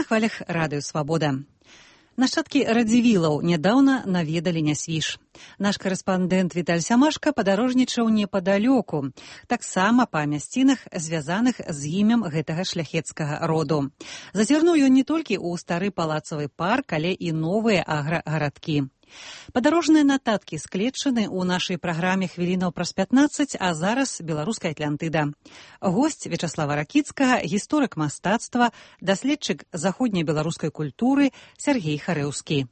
хвалях радыё «Свабода». Нашчадкі радзівілаў нядаўна наведалі Нясвіж. Наш карэспандэнт Віталь Сямашка падарожнічаў непадалёку, таксама па мясцінах, звязаных з імем гэтага шляхецкага роду. Зазірнуў ён не толькі ў стары палацавы парк, але і новыя аграгарадкі. Падарожныя нататкі склечаны ў нашай праграме хвілінаў праз 15, а зараз беларуская Атлантыда. Госць Вячаслава Ракіцкага, гісторык мастацтва, даследчык заходняй беларускай культуры Сяргей Харэўскі.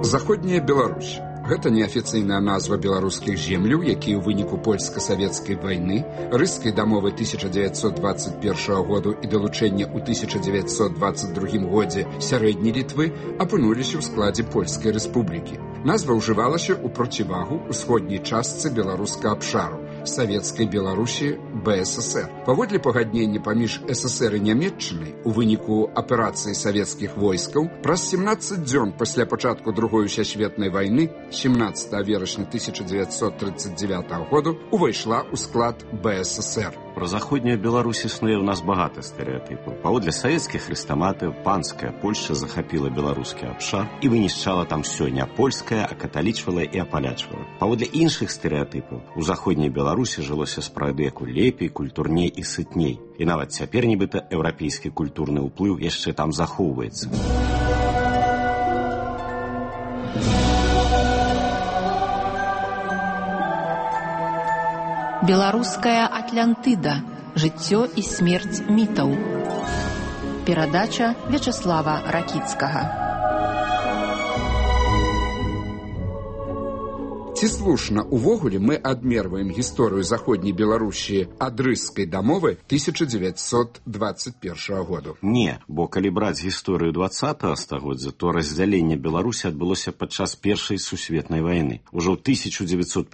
Заходняя Беларусь. Гэта неафіцыйная назва беларускіх земляў, якія ў выніку польска-савецкай вайны, рыскай дамовы 1921 году і далучэння ў 1922 годзе сярэдняй Літвы апынуліся ў складзе Польскай рэспублікі. Назва ўжывалася ў процівагу ўсходняй частцы беларускага абшару, савецкай Беларусі БССР. Паводле пагаднення паміж ССР і Нямецчынай у выніку аперацыі савецкіх войскаў праз 17 дзён пасля пачатку Другой сусветнай вайны 17 верасня 1939 году увайшла ў склад БССР. Про заходнюю Беларусь існуе ў нас багата стэрэатыпаў. Паводле савецкіх хрэстаматыў, панская Польшча захапіла беларускі абшар і вынішчала там усё няпольскае, а каталічвала і апалячвала. Паводле іншых стэрэатыпаў, у заходняй Беларусі жылося спрадвеку лепей, культурней і сытней. І нават цяпер нібыта еўрапейскі культурны ўплыў яшчэ там захоўваецца. Беларуская Атлантыда. Жыццё і смерць мітаў. Перадача Вячаслава Ракіцкага. Ці слушна увогуле мы адмерваем гісторыю заходняй Беларусі ад рыскай дамовы 1921 году? Не, бо калі браць гісторыю 20 стагоддзя, то раздзяленне Беларусі адбылося падчас Першай сусветнай вайны. Ужо ў 1915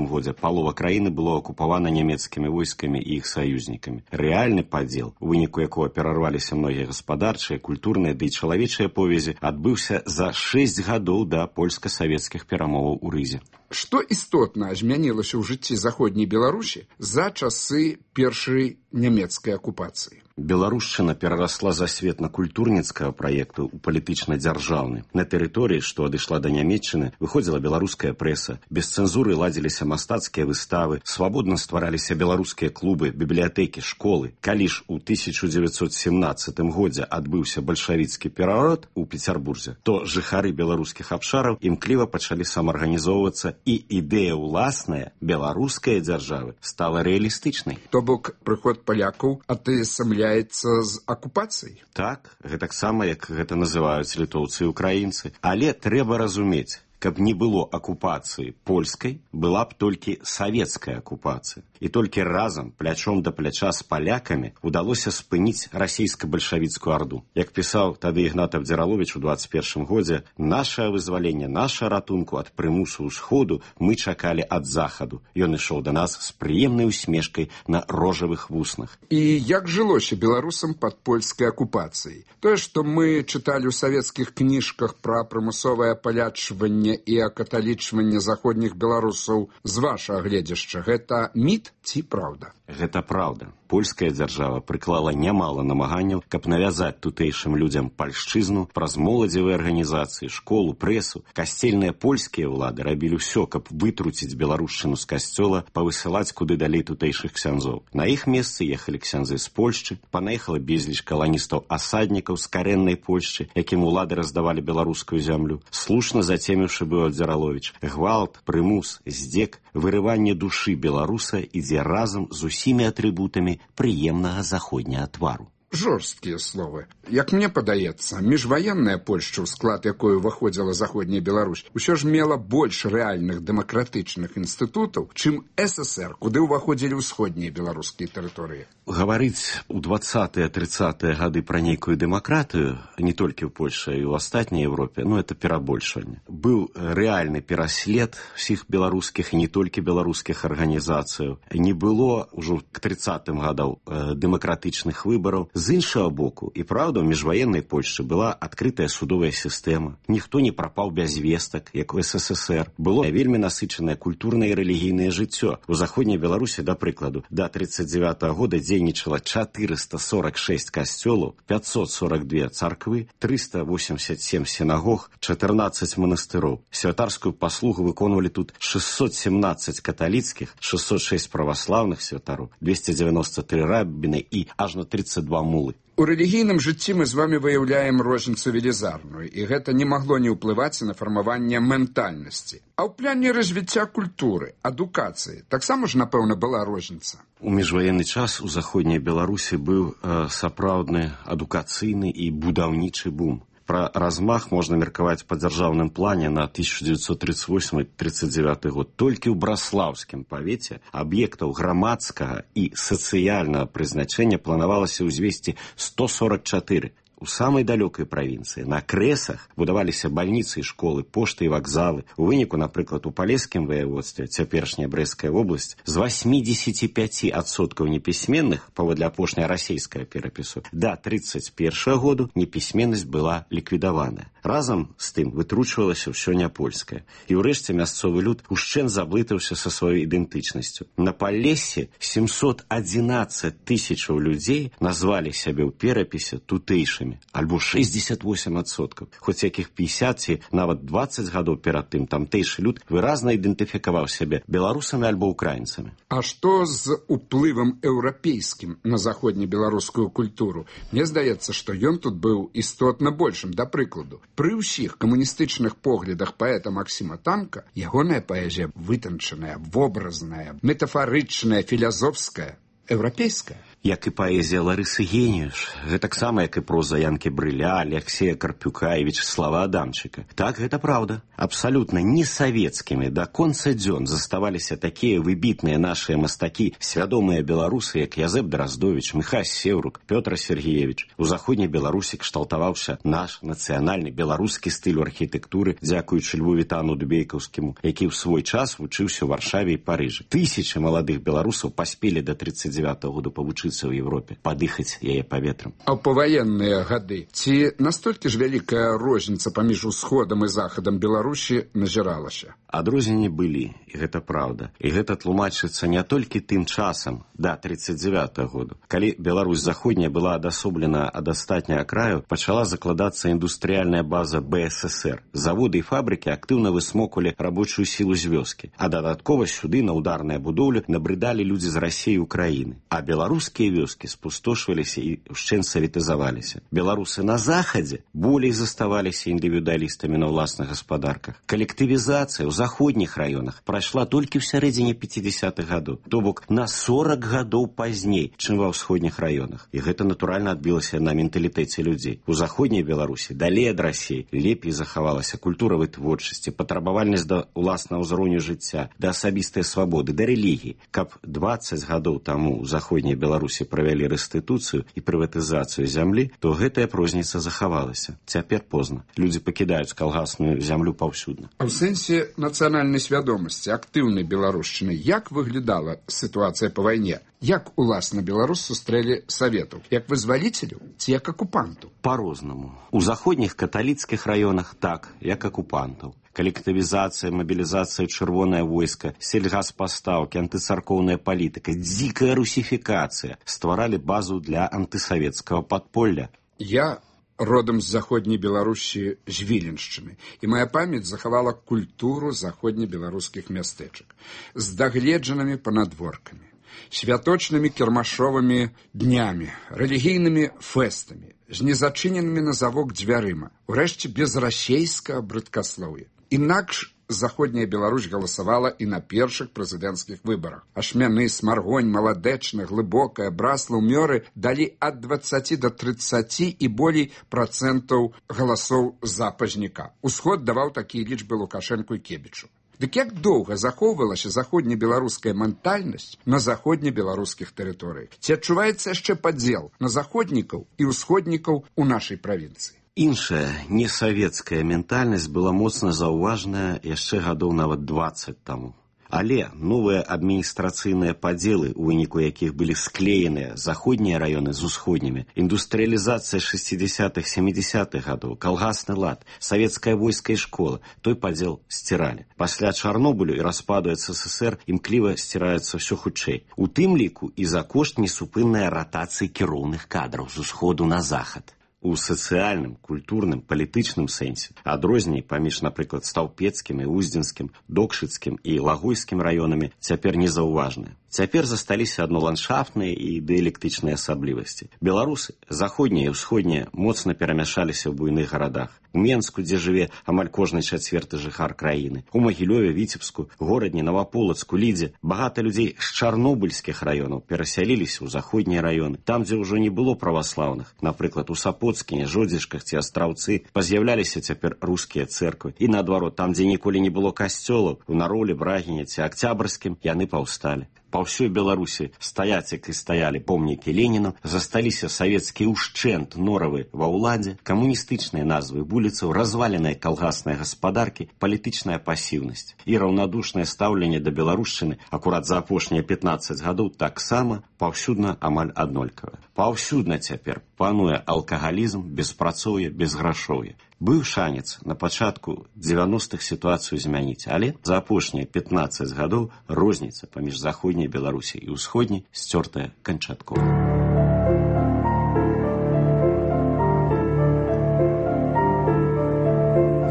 годзе палова краіны было акупавана нямецкімі войскамі і іх саюзнікамі. Рэальны падзел, у выніку якога перарваліся многія гаспадарчыя, культурныя ды і чалавечыя повязі, адбыўся за 6 гадоў да польска-савецкіх перамоваў у Рызе. Што істотна змянілася ў жыцці заходняй Беларусі за часы першай нямецкай акупацыі? Беларушчына перарасла засветна-культурніцкага праекту ў палітычна-дзяржаўны. На тэрыторыі, што адышла да Нямецчыны, выходзіла беларуская прэса, без цэнзуры ладзіліся мастацкія выставы, свабодна ствараліся беларускія клубы, бібліятэкі, школы. Калі ж у 1917 годзе адбыўся бальшавіцкі пераворот у Пецярбурзе, то жыхары беларускіх абшараў імкліва пачалі самаарганізоўвацца, і ідэя ўласная беларускай дзяржавы стала рэалістычнай. То бок прыход палякаў атаясамляецца з акупацыяй? Так, гэтаксама, як гэта называюць літоўцы і украінцы. Але трэба разумець, каб не было акупацыі польскай, была б толькі савецкая акупацыя. І толькі разам, плячом да пляча з палякамі, удалося спыніць расійска-бальшавіцкую арду. Як пісаў тады Ігнат Абдзіраловіч у 21 годзе, «Нашае вызваленне, наша ратунку ад прымусу ўсходу мы чакалі ад захаду. Ён ішоў да нас з прыемнай усмешкай на рожавых вуснах». І як жылося беларусам пад польскай акупацыяй? Тое, што мы чыталі ў савецкіх кніжках пра прымусовае апалячванне і акаталічванне заходніх беларусаў з вашага гледзяшча, гэта міт ці праўда? Гэта праўда. Польская дзяржава прыклала нямала намаганняў, каб навязаць тутэйшым людзям пальшчызну праз моладзевыя арганізацыі, школу, прэсу. Касцельныя польскія ўлады рабілі ўсё, каб вытруціць беларушчыну з касцёла, павысылаць куды далей тутэйшых ксяндзоў. На іх месцы ехалі ксяндзы з Польшчы, панаехала безліч каланістаў-асаднікаў з карэннай Польшчы, якім улады раздавалі беларускую зямлю. Слушна зацеміўшы быў Абдзіраловіч. Гвалт, прымус, здзек, вырыванне душы беларуса ідзе разам з усімі атрыбутамі прыемнага заходняга твару. Жорсткія словы. Як мне падаецца, міжваенная Польшча, у склад якой уваходзіла заходняя Беларусь, усё ж мела больш рэальных дэмакратычных інстытутаў, чым ССР, куды ўваходзілі ўсходнія беларускія тэрыторыі. Гаварыць у 20-30-е гады пра нейкую дэмакратыю, не толькі ў Польшчы, і ў астатняй Европе, это перабольшванне. Быў рэальны пераслед усіх беларускіх і не толькі беларускіх арганізацыяў. Не было ўжо к 30-м гадам дэмакратычных выбараў. З іншага боку, і праўда, у міжваеннай Польшчы была адкрытая судовая сістэма. Ніхто не прапаў без вестак, як у СССР. Было вельмі насычанае культурнае і рэлігійнае жыццё. У заходняй Беларусі, да прыкладу, да 1939 года дзейнічала 446 касцёлаў, 542 царквы, 387 сінагог, 14 манастыроў. Святарскую паслугу выконвалі тут 617 каталіцкіх, 606 праваслаўных святароў, 293 рабіны і аж на 32 мулы. У рэлігійным жыцці мы з вами выяўляем розніцу велізарную, і гэта не магло не ўплываць на фармаванне ментальнасці. А ў пляне развіцця культуры, адукацыі таксама ж, напэўна, была розніца. У міжваенны час у заходняй Беларусі быў сапраўдны адукацыйны і будаўнічы бум. Пра размах можна меркаваць па дзяржаўным плане на 1938-39 год. Толькі ў браслаўскім павеце аб'ектаў грамадскага і сацыяльнага прызначэння планавалася ўзвесці 144. У самай далёкай правінцыі на крэсах будаваліся бальніцы і школы, пошты і вакзалы. У выніку, напрыклад, у палескім ваяводстве, цяперашняя Брэсцкая вобласць, з 85% непісьменных, паводле апошняй расейскага перапісу, да 31 году непісьменнасць была ліквідаваная. Разам з тым вытручвалася ўсё няпольскае. І ўрэшце мясцовы люд ушчэнт заблытаўся са сваёй ідэнтычнасцю. На Палессі 711 тысячаў людзей назвалі сябе ў перапісе тутэйшымі, альбо 68%. Хоць якіх 50 ці нават 20 гадоў перад тым тамтэйшы люд выразна ідэнтыфікаваў сябе беларусамі альбо украінцамі. А што з уплывам еўрапейскім на заходнебеларускую культуру? Мне здаецца, што ён тут быў істотна большым. Да прыкладу, пры ўсіх камуністычных поглядах паэта Максіма Танка ягоная паэзія вытанчаная, вобразная, метафарычная, філазофская, еўрапейская. Як і паэзія Ларысы Геніюш, гэтаксама як і проза Янкі Брыля, Алексея Карпюка і Вячеслава Адамчыка. Так, гэта праўда. Абсалютна не савецкімі да конца дзён заставаліся такія выбітныя нашыя мастакі, свядомыя беларусы, як Язэп Драздовіч, Міхась Сеўрук, Пётр Сергеевич. У заходняй Беларусі кшталтаваўся наш нацыянальны беларускі стыль архітэктуры, дзякуючы Льву Вітану Дубейкаўскіму, які ў свой час вучыўся ў Варшаве і Парыжы. Тысячы маладых беларусаў паспелі да 39 году павучыцца ў Европе, падыхаць яе паветрам. А ў паваенныя гады ці настолькі ж вялікая розніца паміж усходам і захадам Беларусі назіралася? Адрозненні былі, і гэта праўда. І гэта тлумачыцца не толькі тым часам, да 39 году. Калі Беларусь заходняя была адасоблена ад астатняга краю, пачала закладацца індустрыяльная база БССР. Заводы і фабрыкі актыўна высмоквалі рабочую сілу з вёскі, а дадаткова сюды на ударныя будоўлі набрыдалі людзі з Расіі і Украіны. А беларускія вёскі спустошваліся і ўшчэнт саветызаваліся. Беларусы на захадзе болей заставаліся індывідуалістамі на ўласных гаспадарках. Калектывізацыя ў заходніх раёнах прайшла толькі ў сярэдзіне 50-х гадоў, то бок на 40 гадоў пазней, чым ва ўсходніх раёнах. І гэта натуральна адбілася на менталітэце людзей. У заходняй Беларусі далей ад Расіі лепей захавалася культура вытворчасці, патрабавальнасць да ўласнага ўзроўню жыцця, да асабістай свабоды, да рэлігіі. Каб 20 гадоў таму ў заходняй Беларусі правялі рэстытуцыю і прыватызацыю зямлі, то гэтая розніца захавалася. Цяпер позна. Людзі пакідаюць калгасную зямлю паўсюдна. А ў сэнсе нацыянальнай свядомасці, актыўнай беларушчыны, як выглядала сітуацыя па вайне? Як, уласна, беларус сустрэлі саветаў? Як вызваліцеляў ці як акупантаў? Па-рознаму. У заходніх каталіцкіх раёнах так, як акупантаў. Калектывізацыя, мабілізацыя, чырвонае войска, сельгаспастаўкі, антыцаркоўная палітыка, дзікая русіфікацыя стваралі базу для антысавецкага падполля. Я родам з заходняй Беларусі, з Віленшчыны, і моя памяць захавала культуру заходнебеларускіх мястэчак з дагледжанымі панадворкамі, святочнымі кірмашовымі днямі, рэлігійнымі фэстамі, з незачыненымі на завок дзвярыма, урэшце без расейскага брыдкаслоўя. Інакш заходняя Беларусь галасавала і на першых прэзідэнцкіх выбарах. Ашмяны, Смаргонь, Маладэчна, Глыбокая, Браслаў, Мёры далі ад 20 до 30 і болей процентаў галасоў за пазняка. Усход даваў такія лічбы Лукашэнку і Кебічу. Дык як доўга захоўвалася заходнебеларуская ментальнасць на заходнебеларускіх тэрыторыях? Ці адчуваецца яшчэ падзел на заходнікаў і ўсходнікаў у нашай правінцыі? Іншая, несавецкая ментальнасць была моцна заўважная яшчэ гадоў нават 20 таму. Але новыя адміністрацыйныя падзелы, у выніку якіх былі склееныя заходнія раёны з усходнімі, індустрыялізацыя 60-х-70-х гадоў, калгасны лад, савецкае войска і школа, той падзел сціралі. Пасля Чарнобылю і распаду СССР імкліва сціраецца ўсё хутчэй. У тым ліку і за кошт несупыннай ратацыі кіроўных кадраў з усходу на захад. У сацыяльным, культурным, палітычным сэнсе адрозненні паміж, напрыклад, стаўпецкім і уздзенскім, докшыцкім і лагойскім раёнамі цяпер незаўважныя. Цяпер засталіся адно ландшафтныя і дыялектычныя асаблівасці. Беларусы, заходнія і ўсходнія, моцна перамяшаліся ў буйных гарадах. У Менску, дзе жыве амаль кожны чацвёрты жыхар краіны, у Магілёве, Віцебску, Горадні, Наваполацку, Лідзе багата людзей з чарнобыльскіх раёнаў перасяліліся ў заходнія раёны. Там, дзе ўжо не было праваслаўных, напрыклад, у Сапоцкіне, Жодзішках ці Астраўцы, паз'яўляліся цяпер рускія цэрквы. І наадварот, там, дзе ніколі не было касцёлаў, у Наролі, Брагіне ці Акцябрскім, яны паўсталі. Па ўсёй Беларусі стаяць, як і стаялі помнікі Леніну, засталіся савецкі ўшчэнт норавы ва ўладзе, камуністычныя назвы вуліцаў, разваленыя калгасныя гаспадаркі, палітычная пасіўнасць і раўнадушнае стаўленне да беларушчыны акурат за апошнія 15 гадоў таксама паўсюдна амаль аднолькавае. Паўсюдна цяпер пануе алкагалізм, беспрацоўе, безграшоўе. Быў шанец на пачатку 90-х сітуацыю змяніць, але за апошнія 15 гадоў розніца паміж заходняй Беларусі і ўсходняй сцёртая канчаткова.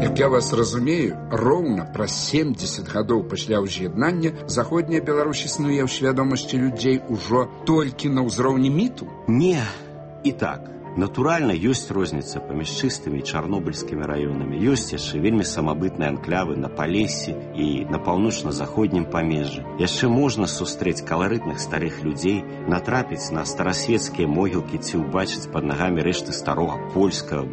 Як я вас разумею, роўна праз 70 гадоў пасля ўз'яднання заходняя Беларусь існуе ў свядомасці людзей ужо толькі на ўзроўні міту? Не, і так. Натуральна, ёсць розніца паміж чыстымі і чарнобыльскімі раёнамі. Ёсць яшчэ вельмі самабытныя анклавы на Палессі і на паўночна-заходнім памежжы. Яшчэ можна сустрэць каларытных старых людзей, натрапіць на старасвецкія могілкі ці ўбачыць пад нагамі рэшты старога польскага